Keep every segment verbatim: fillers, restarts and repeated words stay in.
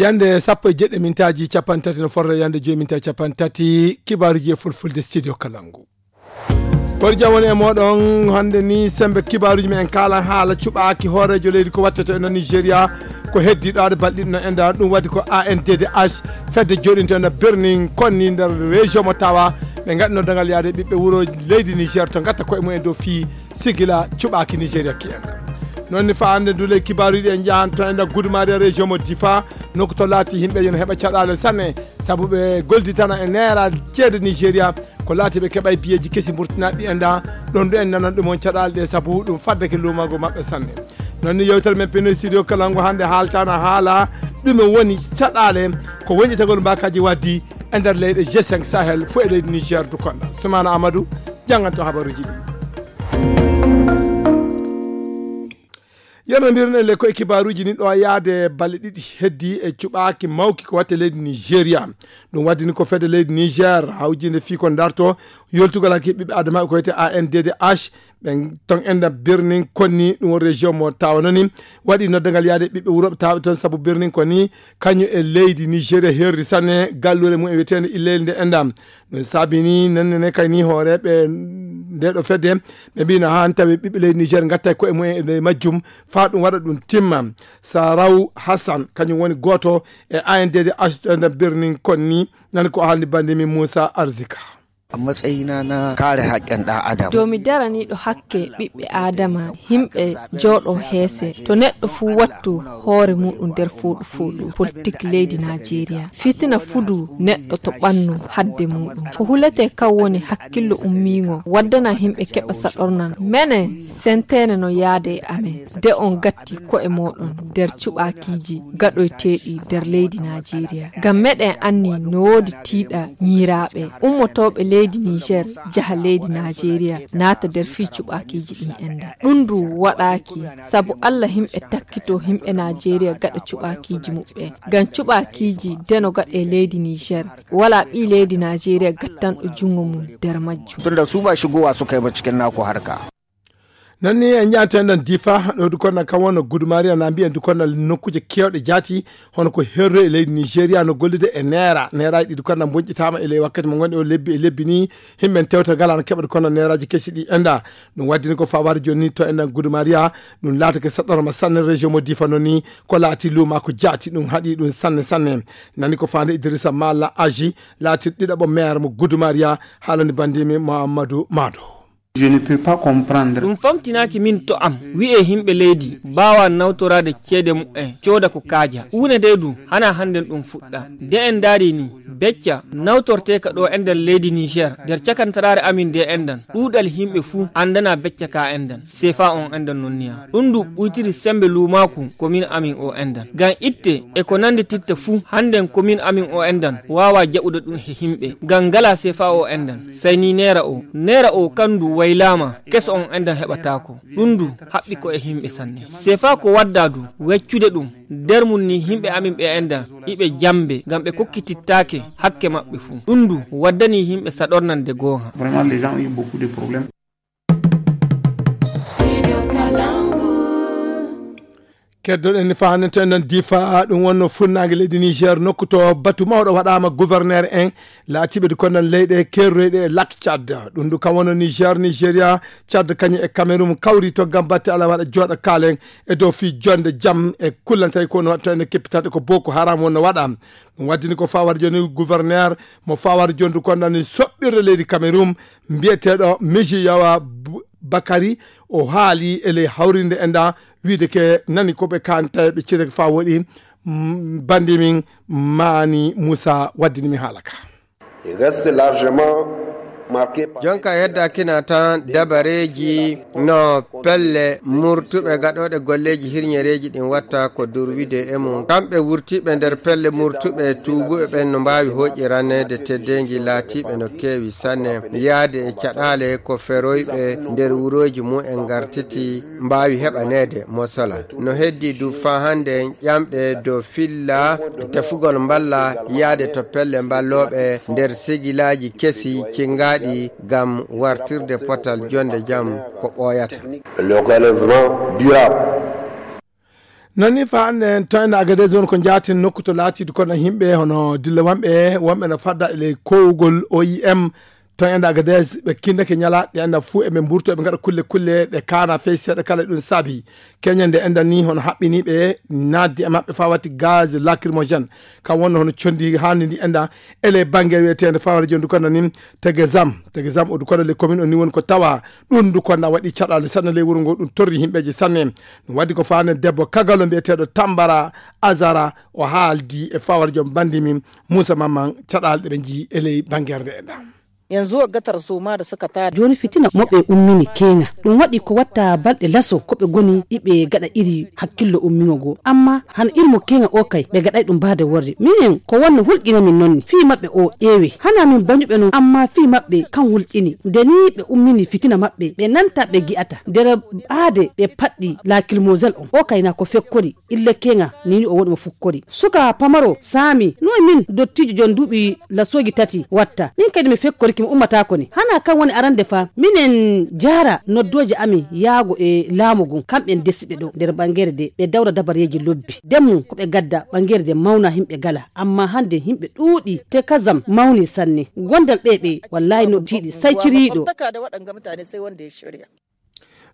Yande sappo e jeɗɗi mintaaji capanɗe tati no forre yande joyi mintaaji capanɗe tati, kibaaruji e fulfulde studio Kalangu. Kono jam woni e mooɗon hannde ni, sembe kibaaruji men en kaala haala cuɓaaki hooreejo leydi ko wattete e no Nigeria, ko heddi ɗo aɗa balɗi no enda ɗum waɗi ko A N D D H, fedde joɗinto na Birnin Konni nder région mo Tawa, ɓe ngaɗino dangal yaade ɓiɓɓe wuro leydi Niger to ngatta koye mumen dow fii sigila cuɓaaki Nigeria ki en. Noon ni fa hannde ndu ley kibaaruji en njahan to enda Gudumariya région mo Difa, nokku to laati yimɓe ene heɓa caɗaale sanne, sabu ɓe golditana e neera ceede Nigeria, ko laati ɓe keɓa e biyeeji kesi mburtinaɗi enda, ɗon ɗo en nanan ɗum on caɗaale ɗe, sabu ɗum faddake lumago maɓɓe sanne. Noon ni yewtere men pino studio Kalangu hannde haaltana haala ɗume woni caɗaale ko wonƴetagol mbakaji waddi e nder leyɗe G cinq Sahel fo e leydi Niger du konda. Soumana Amadou jannganto habaruji ɗi. Yerno mbiruɗen le koye kibaaruji ni ɗo yaade balɗe ɗiɗi heddi e cuɓaaki mawki ko watte leydi Nigeria. Ɗum waddini ko fedde leydi Niger hawjinde fii ko darto yoltugol hakke ɓiɓɓe adama ko wiyete A N D D H, ɓen ton enda Birnin Konni ɗum won région mo Tawa noni waɗi noddangal yaade ɓiɓɓe wuro ɓe Tawa ton sabu Birnin Konni kañum e leydi Nigeria herri sanne gallure mum e wiyetende Illeyel nde enda. Ɗum saabi ni nonne ne kay ni hooreeɓe nde ɗo fedde ɓe mbino haa tawi ɓiɓɓe leydi Niger ngatta koye mumen e ley majjum faa ɗum waɗa ɗum timma. Saraw Hassan kañum woni gooto e A N D D H nder Birnin Konni, nan ko haalni bannde min Moussa Arzika. A matsayina na kare haƙƙin ɗan adam. Domin daraniɗo hakke ɓiɓɓe Adama, himɓe jooɗo heese, to neɗɗo fuu wattu hoore muɗum nder fooɗu fooɗu politik leydi Najeriya. Fitina fudu neɗɗo to ɓannu hadde muɗum. Ko hulete kan woni hakkillo ummiingo, waddana himɓe keɓa saɗornan. Mene sentene no yaade e amen. De on gatti ko'e mooɗon nder cuɓaakiiji gaɗoyteeɗi nder leydi Najeriya. Ngam meɗen anni no woodi tiiɗa ñiiraaɓe ummotooɓe leydi Niger, jaha leydi Najeriya, naata nder fii cuɓaakiiji ɗin enda. Ɗum ndu waɗaaki sabu Alla himɓe takkito himɓe Najeriya gaɗa cuɓaakiiji muɓɓen. Ngam cuɓaakiiji deno gaɗe leydi Niger, wala ɓii leydi Najeriya gattanɗo junngo mum nder majjum. Tunda su ba shigowa suka yi ba cikin naku harka. Nan ni en njahanten ɗon Difa, ɗo du konnan kan wonno Gudumariya na mbiyen du konnan nokkuuje keewɗe jaati, hono ko herro e leydi Nigeria no gollude e neera. Neeraaji ɗi du konnan bonƴitaama e ley wakkati mo ngonɗen o lebbi e lebbi ni, himɓe en tewta ngala no keɓa du konnan neeraaji kesi ɗi enda. Ɗum waddini ko fawar joni to enɗan Gudumariya, ɗum laatake saɗɗorma sanne région mo Difa noon ni, ko laati luuma ko jaati ɗum haɗi ɗum sanne sanne. Nani ko faande Idrissa Malla Aji, laati ɗiɗaɓo maire mo Gudumariya, haalani bandimi Mamadou Mado. Je ne peux pas comprendre. Ɗum famtinaaki min to am, wi'e himɓe leydi mbaawa nawtoraade ceede mu'en, cooda ko kaaja. Huunde ndee du, hana hannden ɗum fuɗɗa. Nde en ndaari ni, becca nawtorteeka ɗo enɗan leydi Niger, nder cakantaraare amin nde enɗan, ɗuuɗal himɓe fuu anndana becca ka enɗan, sefa on enɗan non niya. Ɗum du ɓuytiri sembe luumaaku ko min amin o enɗan. Ngam itte e ko nanndi titta fuu, hannden ko min amin o enɗan, waawa jaɓude ɗum he himɓe. Ngam ngala sefa o enɗan, sey ni neera o. Neera o kandu waylaama, keso on enɗan heɓataako. Ɗum du haɓɓi ko e himɓe sanne. Sefa ko wadda du, weccude ɗum, nder mum ni himɓe amin ɓe enɗan, iɓe jambe, ngam ɓe kokkitittaake hakke maɓɓe fuu. Ɗum du waddani himɓe saɗornande goonga. Vraiment, les gens ont eu beaucoup de problèmes. Keddoɗen ni fahanten ɗon Difa, ɗum wonno funnaange leydi Niger, nokku to batu mawɗo waɗaama gouverneur en laatiiɓe du konnan leyɗe kerroyɗe e Lac Tchad. Ɗum du kam wonno Niger, Nigeria, Tchad kañum e Cameroun kawri to ngam batte ala waɗa jooɗa kaalen e dow fii jonde jam e kullantay ko no waɗto en e keppitanɗe ko Boko Haram wonno waɗa. Ɗum waddini ko fawar joni gouverneur mo fawar joni du konnan soɓɓirde leydi Cameroun mbiyeteeɗo Miji Yawa Bu-, Bakari, o haali e ley hawrinde e nda wiide ke nani ko ɓe kanta ɓe cire fa woɗi, mm, bandi min Mani Moussa waddini mi haala ka. Il reste largement marqué par jonka hedda kina tan dabareji no pelle murtuɓe gaɗoɗe golleji hirñereji ɗin watta ko durwide e mum. Kamɓe wurtiɓe nder pelle murtuɓe tuubuɓe ɓen no mbaawi hoƴƴi ranneede teddengi laatiiɓe no keewi sanne. Yaade e caɗaale ko feroyɓe nder wurooji mum en ngartiti mbaawi heɓaneede mosola. No heddi du faa hannde ƴamɗe dow filla tefugol mballa yaade to pelle mballooɓe nder sigilaaji kesi cingaaɗi ngam wartirde potal jonde jam ko ɓooyata. Le relèvement durable. Noon ni fa hannde en to ene Agadez won ko njaatin nokku to laatiidu kono himɓe hono dille wonɓe, wonɓe no fadda e ley kowgol O I M to ene Agadez, ɓe kinndake ñalaaɗe enda fuu eɓe mburto, eɓe ngaɗa kulle kulle ɗe kaana fey seeɗa kala. Ɗum saabi keñande enda ni hono haɓɓiniiɓe naatde e maɓɓe fawati gaz lacrymogène. Kam wonno hono conndi haandi ndi enda e ley bannge wiyeteende fawata jooni ndu kono ni Tegezam. Tegezam o ndu kono ley commune o ni woni ko tawa ɗum ndu kono waɗi caɗaale sanne ley wuro ngo, ɗum torri himɓeeje sanne. Ɗum waɗi ko faane debbo kagalo mbiyeteeɗo Tambara Azara o haaldi e fawata joom banndi min Moussa Mamman caɗaale ɗe ɓe njii e ley banngeere nde enda. Yanzu wagga tarzoma da suka tada. Jooni fitina mo ɓe ummini keeŋa. Ɗum waɗi ko watta balɗe laso ko ɓe goni iɓe gaɗa iri hakkillo ummiŋo goo. Amma hano iri mo keeŋa o kay ɓe gaɗay ɗum baade worre. Minen ko wonno hulƴina min noon fii maɓɓe o eewe. Hana min bañuɓe noon amma fii maɓɓe kan hulƴini. Nde ni ɓe ummini fitina maɓɓe ɓe nanta ɓe gi'ata. Nder ɓaade ɓe paɗɗi laakilmosel on. O kay na ko fekkori. Ille keŋa ni o woni mo fukkori. Suka pamaro saami no e min dottiijo jon duuɓi lasooji tati watta. Min kadi mi fekkoriki mi ummataako ni. Hana kan woni arande fa minen jaara noddooje amin yaago e laamu ngun. Kamɓe en desiɓe ɗo nder ɓangere de ɓe dawra dabareeji lobbi. Demmu ko ɓe gadda ɓangere de mawna himɓe gala. Amma hande himɓe ɗuuɗi te kazam mawni sanne. Gondal ɓe ɓe wallahi no tiiɗi sai ciriiɗo.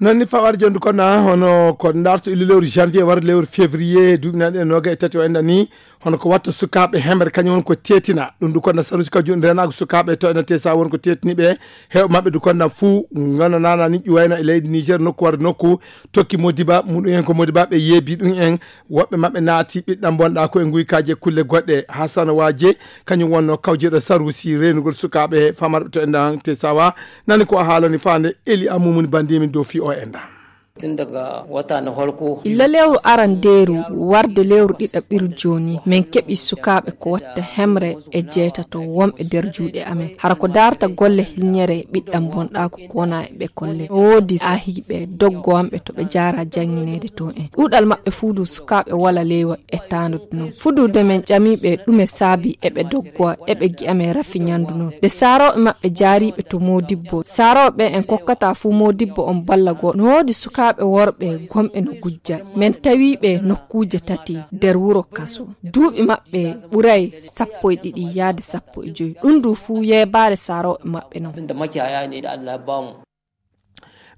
Noon ni fawar jondu kono hono ko darto illu lewru janvier warde lewru février duuɓi nan e noga e tati o enda ni. Hono ko watta sukaaɓe hemre kañum won ko tetina ɗum du kono sarusi ka jun renago sukaaɓe to ena tesa won ko tetiniɓe. Hew maɓɓe du kono fuu ngana nana ni ƴuwayna e leydi niger nokku warde nokku tokki modiba muɗum en ko modiba ɓe yeebi ɗum en. Woɓɓe maɓɓe naati ɓiɗɗam bonɗa ko e guykaji e kulle goɗɗe hasana waje kañum wonno kawjeɗo sarusi renugol sukaaɓe famarɓe to endan te sawa. Nani ko a haalani faande eli amumuni bandimin dow fi o enda. Tun daga wata na farko illa lewru arandeeru warde lewru ɗiɗaɓiru jooni min keɓi sukaaɓe ko watta hemre e jeetato wonɓe nder juuɗe amen hara ko darta golle hilñere ɓiɗɗam bonɗa ko kona e ɓe kolle no woodi ahiiɓe doggowanɓe to ɓe jaara janngineede to en ɗuuɗal maɓɓe fuudu sukaaɓe wala leewa e taandude noon fudude men ƴamiiɓe ɗume saabi eɓe doggowa eɓe gi'a men rafi ñandu noon nde saarooɓe maɓɓe jaariiɓe to moodibbo saarooɓe en kokkata fuu moodibbo on balla goo no woodi sukaaɓe worɓe gomɓe no gujja men tawiiɓe nokkuuje tati nder wuro kaso duuɓi maɓɓe ɓuray sappo e ɗiɗi yaade sappo e joyi ɗum du fuu yeebaare saarooɓe maɓɓe noon.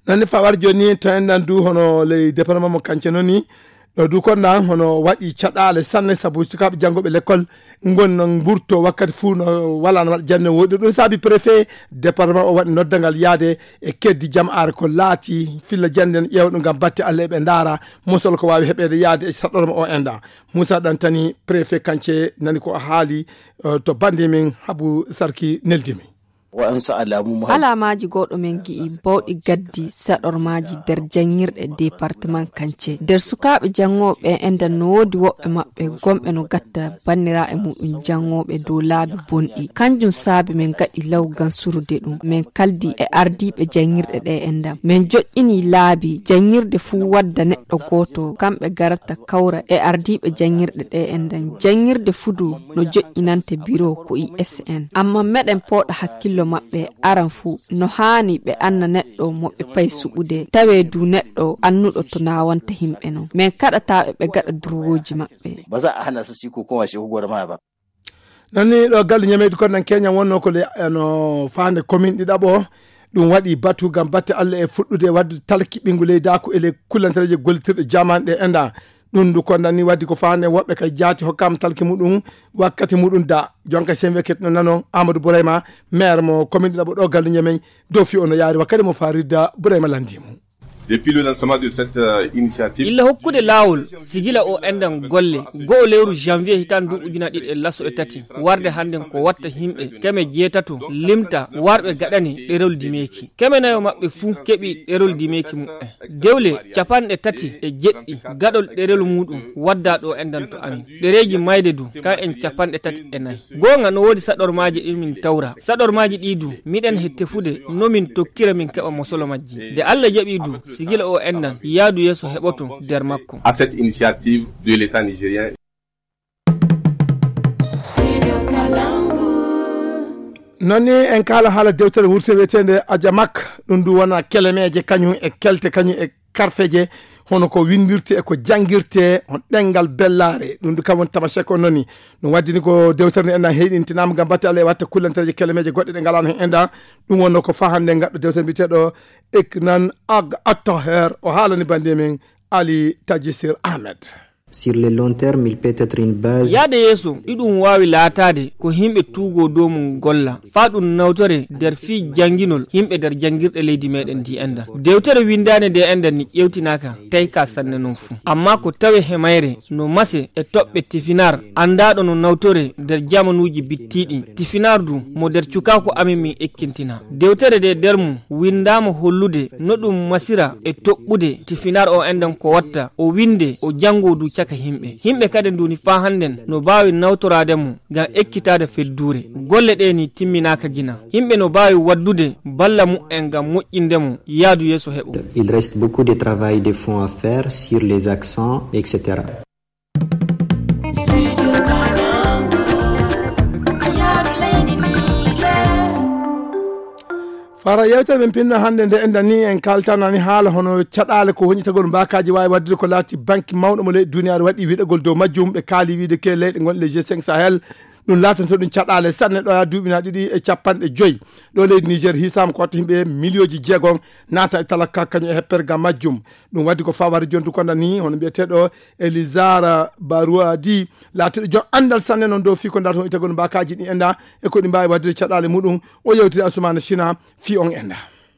Nani fa war joni to en nan du hono ley département mo kance noni ɗo du kon nan hono waɗi caɗale sanne sabu sukaɓe janngoɓe l'école gon non mburto wakkati fuu no wala no waɗa jande woɗi ɗum saabi préfet département o waɗi noddangal yaade e keddi jama'are ko laati filla jande en ƴeewa ɗum ngam batte allah eɓe ndaara mosol ko wawi heɓede yaade e saɗɗorma o enda. Moussa Dantani préfet kance nani ko haali to bande min habu sarki neldimi. Waɗansu alamu ma. Alamaaji goɗɗo men gi'i bawɗi gaddi saɗormaaji nder janngirɗe département kance nder sukaaɓe janngooɓe ɓen endan no woodi woɓɓe maɓɓe gomɓe no gatta banniraaɓe muɗum janngooɓe dow laabi bonɗi kanjum saabi men gaɗi law ngam surude ɗum men kaldi e ardiiɓe janngirɗe ɗe endan men joƴƴini laabi janngirde fuu wadda neɗɗo gooto kamɓe garata kawra e ardiiɓe janngirɗe ɗe endan janngirde fudu no joƴƴinante biro ko I S N amma meɗen pooɗa hakkillo maɓɓe aran fuu no haani ɓe anna neɗɗo mo ɓe payi suɓude tawee du neɗɗo annuɗo to naawanta himɓe non men kaɗataa ɓe ɓe gaɗa durwooji maɓɓe. Ba za a hana su su yi kokowa shi hukuma da maya ba. Nani ɗo galle ñameydu kon nan keñan wonno ko le no faande commune ɗiɗaɓo ɗum waɗi batu ngam batte allah e fuɗɗude waddude talki ɓinngu leydaaku e ley kullantereeje gollitirɗe jamaane ɗe enda. Ɗum ndu kondan ni waddi ko faande woɓɓe kay jaati hokkaama talki muɗum wakkati muɗum da jonka sen wekket no nanon amadou bourayma maire mo commune ɗiɗaɓo ɗo galle ñamey dow fi o no yaari wakkati mo faridda bourayma landimo. Depuis le lancement de cette euh, initiative. Illa hokkude laawol sigila o endan golle go'o lewru janvier hitan du ujuna ɗiɗi e laso e tati warde hannden ko watta himɓe keme jeetato limta warɓe gaɗani ɗerol dimeeki keme nayo maɓɓe fuu keɓi ɗerol dimeeki muɓɓen dewle capanɗe tati e jeɗɗi gaɗol ɗerol muɗum wadda ɗo endan to amin ɗereeji mayde du ka en capanɗe tati e nayi goonga no woodi saɗormaaji ɗin min tawra saɗormaaji ɗi du miɗen he tefude no min tokkira min keɓa mosolo majji nde allah jaɓi du sigila o endan yaadu yeeso heɓoto nder makko. À cette initiative de l'état nigérien. Noon ni en kaala haala dewtere wurte wiyeteende ajamak ɗum ndu wona kelemeeje kañum e kelte kañum e karfeje, hono ko windirte e ko janngirte, on ɗenngal bellaare. Ɗum du kam woni tamashek on noni. Ɗum waddini ko dewtere nde enɗan heyɗintinaama ngam batte Allah e watta kullantereeje kelemeeje goɗɗe ɗe ngalano heen enɗan. Ɗum wonno ko fahande ngaɗɗo dewtere mbiyeteeɗo Eknan Ag Attaher, o haalani bannde men Ali Tajisir Ahmed. Sur le long terme, il peut être une base. Yaade yeeso, iɗum waawi laataade ko yimɓe tuugoo dow mum golla, faa ɗum nawtore nder fii jannginol yimɓe nder janngirɗe leydi meɗen ndi enɗan. Dewtere winndaande nde enɗan ni ƴeewtinaaka tayka sanne non fuu. Ammaa ko tawe he mayre no mase e toɓɓe tifinar, anndaaɗo no nawtore nder jamanuuji bittiiɗi. Tifinar du mo nder cukaaku amin min ekkintina. Dewtere nde nder mum winndaama hollude no ɗum masira e toɓɓude tifinar o enɗan ko watta, o winnde, o janngoo du caka yimɓe. Yimɓe kadi nduni faa hannden no mbaawi nawtoraade mo ngam ekkitaade fedduure. Golle ɗe ni timminaaka gina. Yimɓe no mbaawi waddude balla mu'en ngam moƴƴinde mo yaadu yeeso heɓo. Il reste beaucoup de travail de fond à faire sur les accents, et cetera. Fara yewtere men pinno hannde nde enɗan ni en kaltanani haala hono caɗaale ko woni tagol mbaakaaji waawi waɗdude ko laati banki mawɗo mo leydi duniyaaru waɗi wiɗagol dow majjum. Ɓe kaali wiide ke leyɗe gonɗe le G cinq Sahel ɗum laatanto ɗum caɗaale sanne ɗo yaa duuɓi na ɗiɗi e capanɗe joyi. Ɗo leydi Niger hisaama ko watta yimɓe miliyooji jeegom naata e talaka kañum e hepperga majjum. Ɗum waddi ko faware jontu konda ni hono mbiyeteeɗo Elizara Baruadi laatiiɗo joom anndal sanne noon dow fii ko ndaata on itagol mbaakaaji ɗi enɗan e ko ɗi mbaawi waɗdude caɗaale muɗum. O yewtiri Asumana Sina fii on enɗan.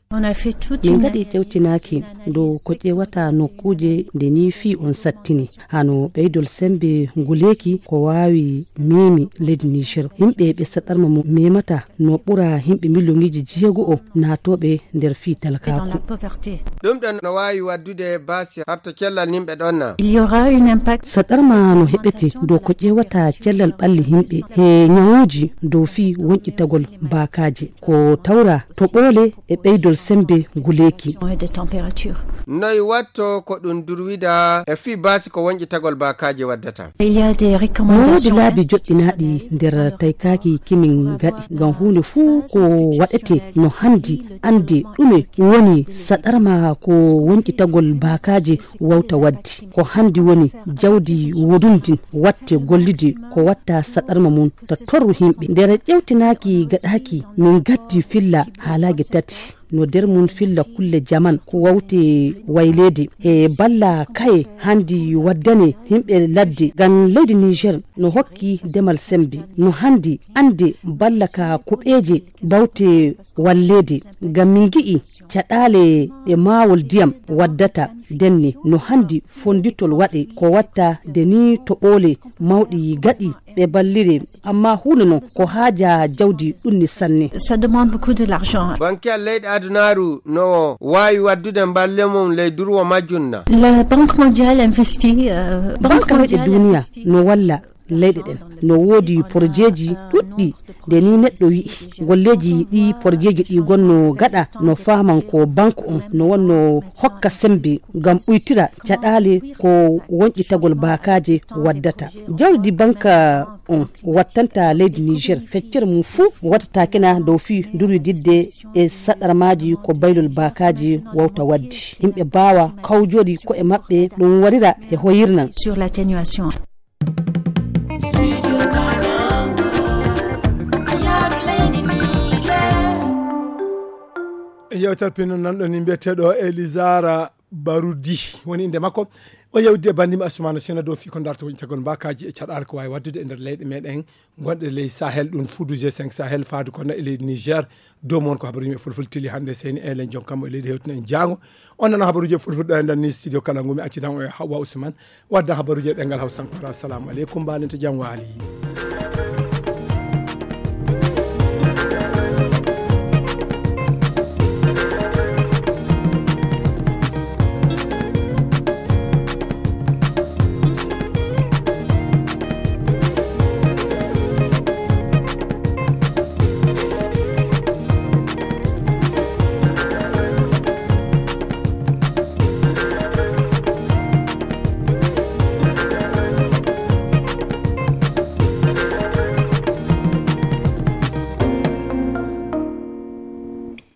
On a fait toute min une ngaɗi tewtinaaki dow ko ƴeewata nokkuuje nde ni fii on sattini hano ɓeydol sembe nguleeki ko waawi memi leydi Niger. Yimɓe ɓe saɗarma mo memata no ɓura yimɓe miliyoniji jeego o naatooɓe nder fii dans la talkaaku. Pauvreté. Ɗum ɗon no waawi waddude baasi hatto cellal yimɓe ɗon na. Il y aura un impact. Saɗarma no heɓete dow ko ƴeewata cellal ɓalli yimɓe he ñawuuji dow fii wonƴitagol baakaaji. Ko tawra to ɓoole e ɓeydol sembe nguleeki. Moyenne de température. Noy watto ko ɗum durwida e fii baasi ko wonƴitagol baakaaji waddata? Il y a des no woodi recommandations laabi joɗɗinaaɗi nder taykaaki kimin gaɗi ngam huunde fuu ko waɗete no handi annde ɗume woni saɗarma ko wonƴitagol baakaaji wawta waddi. Ko handi woni jawdi wodundi watte gollidi ko watta saɗarma mum ta torru yimɓe. Nder ƴewtinaaki gaɗaaki min gaddi filla haalaage tati. No nder mum filla kulle jaman ko wawte wayleede e balla kaye handi waddane yimɓe ladde ngam leydi Niger no hokki demal sembe no handi annde balla ka kuɓeeje bawte walleede ngam min ngi'i caɗaale ɗe maawol ndiyam waddata denne no handi fonditol waɗe ko watta de ni to ɓoole mawɗi gaɗi ɓe ballire amma huunde non ko haaja jawdi ɗunni sanne. Ça demande beaucoup de l'argent. Banki leyɗe adunaaru no waawi waddude mballe mum ley durwo majjum na? La Banque mondiale investit, euh, banque leyɗe duniya no walla leyɗe ɗen no woodi porjeeji ɗuɗɗi nde ni neɗɗo wi'i golleeji ɗi porjeeji ɗi gonno gaɗa no faaman ko banque on no wonno hokka sembe ngam ɓuytira caɗaale ko wonƴitagol baakaaje waddata. Jawdi banque on wattanta leydi Niger feccere mum fuu wattatakena dow fii durwididde e saɗarmaaji ko baylol baakaaji wawta waddi yimɓe baawa kawjori ko e maɓɓe ɗum warira e hoyirnan. Sur l'atténuation. Yewtere pinno nanɗo ni mbiyeteeɗo Elisara Barudi woni innde makko. O yewdi e banndiima Asumana Sena dow fii ko darta woni tagol mbaakaaji e caɗaale ko waawi waɗdude e nder leyɗe meɗen gonɗe ley Sahel ɗum fuudu G cinq Sahel faadu kono e leydi Niger. Dow mon ko habaruuji men fulfulde tili hannde seyni elen jonkam e leydi hewtino en jaango. On nana habaruuji e fulfulde ɗo e nder ni studio kala ngumi accidan o e Hawwa Usman wadda habaruuji e ɗengal Hawsa Ankara. Assalamu aleykum mbaalen to jam waali.